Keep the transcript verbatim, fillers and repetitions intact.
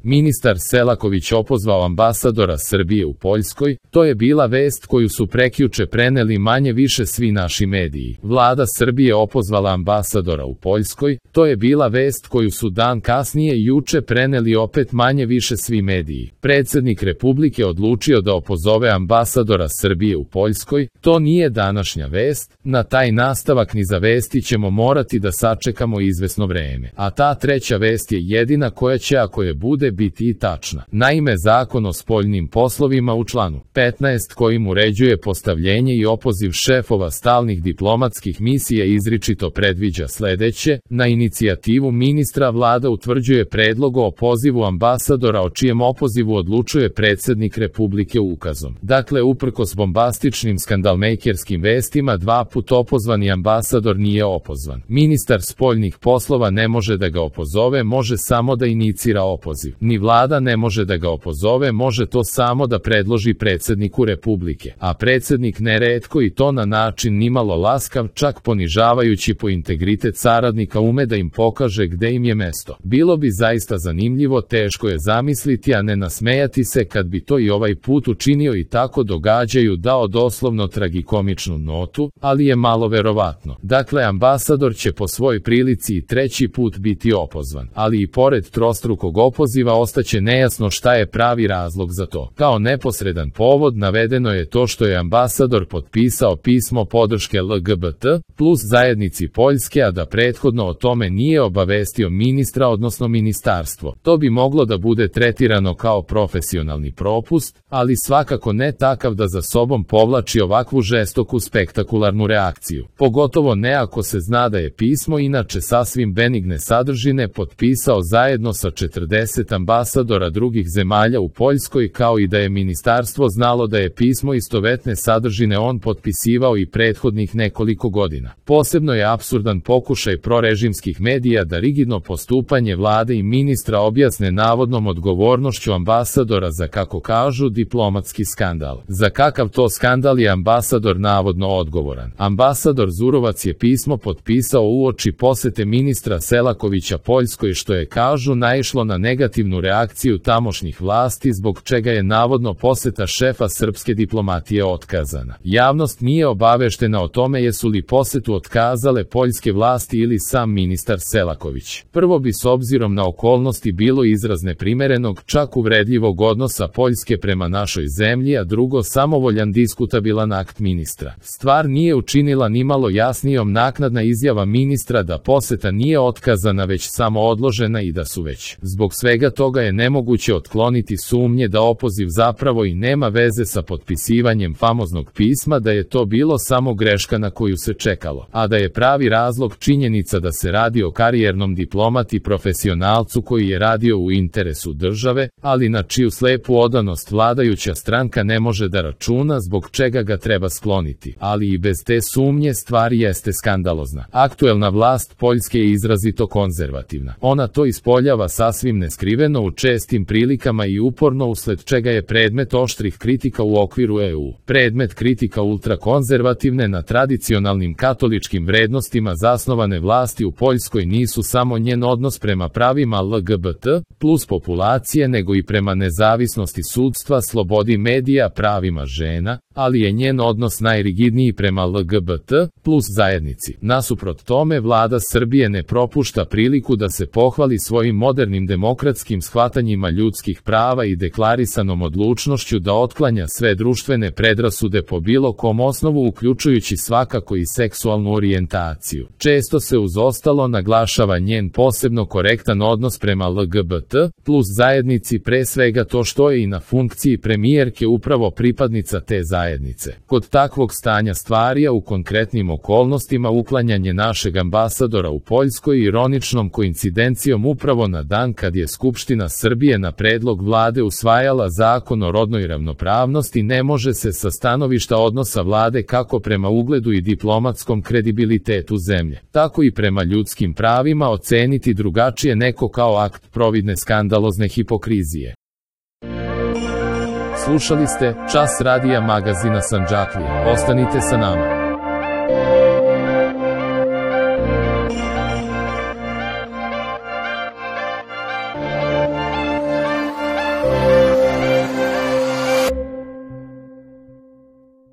Ministar Selaković opozvao ambasadora Srbije u Poljskoj, to je bila vest koju su prekjuče preneli manje više svi naši mediji. Vlada Srbije opozvala ambasadora u Poljskoj, to je bila vest koju su dan kasnije juče preneli opet manje više svi mediji. Predsjednik Republike odlučio da opozove ambasadora Srbije u Poljskoj, to nije današnja vest, na taj nastavak niza vesti ćemo morati da sačekamo izvesno vreme. A ta treća vest je jedina koja će, ako je bude, biti i tačna. Naime, Zakon o spoljnim poslovima u članu petnaest kojim uređuje postavljenje i opoziv šefova stalnih diplomatskih misija izričito predviđa sledeće: na inicijativu ministra Vlada utvrđuje predlog o opozivu ambasadora o čijem opozivu odlučuje predsjednik Republike ukazom. Dakle, uprkos bombastičnim skandalmejkerskim vestima, dva put opozvani ambasador nije opozvan. Ministar spoljnih poslova ne može da ga opozove, može samo da inicira opoziv. Ni vlada ne može da ga opozove, može to samo da predloži predsjedniku Republike. A predsjednik neretko i to na način nimalo laskav, čak ponižavajući po integritet saradnika, ume da im pokaže gde im je mesto. Bilo bi zaista zanimljivo, teško je zamisliti, a ne nasmejati se kad bi to i ovaj put učinio i tako događaju dao doslovno tragikomičnu notu, ali je malo verovatno. Dakle, ambasador će po svoj prilici i treći put biti opozvan, ali i pored trostrukog opoziva ostaće nejasno šta je pravi razlog za to. Kao neposredan povod navedeno je to što je ambasador potpisao pismo podrške L G B T plus zajednici Poljske, a da prethodno o tome nije obavestio ministra odnosno ministarstvo. To bi moglo da bude tretirano kao profesionalni propust, ali svakako ne takav da za sobom povlači ovakvu žestoku spektakularnu reakciju. Pogotovo ne ako se zna da je pismo inače sasvim benigne sadržine potpisao zajedno sa četrdeset ambasadora drugih zemalja u Poljskoj, kao i da je ministarstvo znalo da je pismo istovetne sadržine on potpisivao i prethodnih nekoliko godina. Posebno je apsurdan pokušaj prorežimskih medija da rigidno postupanje vlade i ministra objasne navodnom odgovornošću ambasadora za, kako kažu, diplomatski skandal. Za kakav to skandal je ambasador navodno odgovoran? Ambasador Zurovac je pismo potpisao uoči posete ministra Selakovića Poljskoj, što je, kažu, naišlo na negativnu reakciju tamošnjih vlasti, zbog čega je navodno poseta šefa srpske diplomatije otkazana. Javnost nije obaveštena o tome jesu li posetu otkazale poljske vlasti ili sam ministar Selaković. Prvo bi s obzirom na okolnosti bilo izraz neprimerenog, čak uvredljivog odnosa Poljske prema našoj zemlji, a drugo samovoljan diskutabilan akt ministra. Stvar nije učinila nimalo jasnijom naknadna izjava ministra da poseta nije otkazana već samo odložena i da su već zbog svega toga je nemoguće otkloniti sumnje da opoziv zapravo i nema veze sa potpisivanjem famoznog pisma, da je to bilo samo greška na koju se čekalo, a da je pravi razlog činjenica da se radi o karijernom diplomati profesionalcu koji je radio u interesu države, ali na čiju slepu odanost vladajuća stranka ne može da računa, zbog čega ga treba skloniti. Ali i bez te sumnje stvar jeste skandalozna. Aktuelna vlast Poljske je izrazito konzervativna. Ona to ispoljava sasvim neskriveno u čestim prilikama i uporno, usled čega je predmet oštrih kritika u okviru E U. Predmet kritika ultrakonzervativne na tradicionalnim katoličkim vrednostima zasnovane vlasti u Poljskoj nisu samo njen odnos prema pravima L G B T plus populacije, nego i prema nezavisnosti sudstva, slobodi medija, pravima žena, ali je njen odnos najrigidniji prema L G B T plus zajednici. Nasuprot tome, vlada Srbije ne propušta priliku da se pohvali svojim modernim demokratskim shvatanjima ljudskih prava i deklarisanom odlučnošću da otklanja sve društvene predrasude po bilo kom osnovu, uključujući svakako i seksualnu orijentaciju. Često se uz ostalo naglašava njen posebno korektan odnos prema L G B T plus zajednici, pre svega to što je i na funkciji premijerke upravo pripadnica te zajednice. Kod takvog stanja stvari, a u konkretnim okolnostima uklanjanje našeg ambasadora u Poljskoj ironičnom koincidencijom upravo na dan kad je Skupština Srbije na predlog vlade usvajala zakon o rodnoj ravnopravnosti, ne može se sa stanovišta odnosa vlade kako prema ugledu i diplomatskom kredibilitetu zemlje, tako i prema ljudskim pravima oceniti drugačije neko kao akt providne skandalozne hipokrizije. Slušali ste Čas radija magazina Sandžaklija. Ostanite sa nama.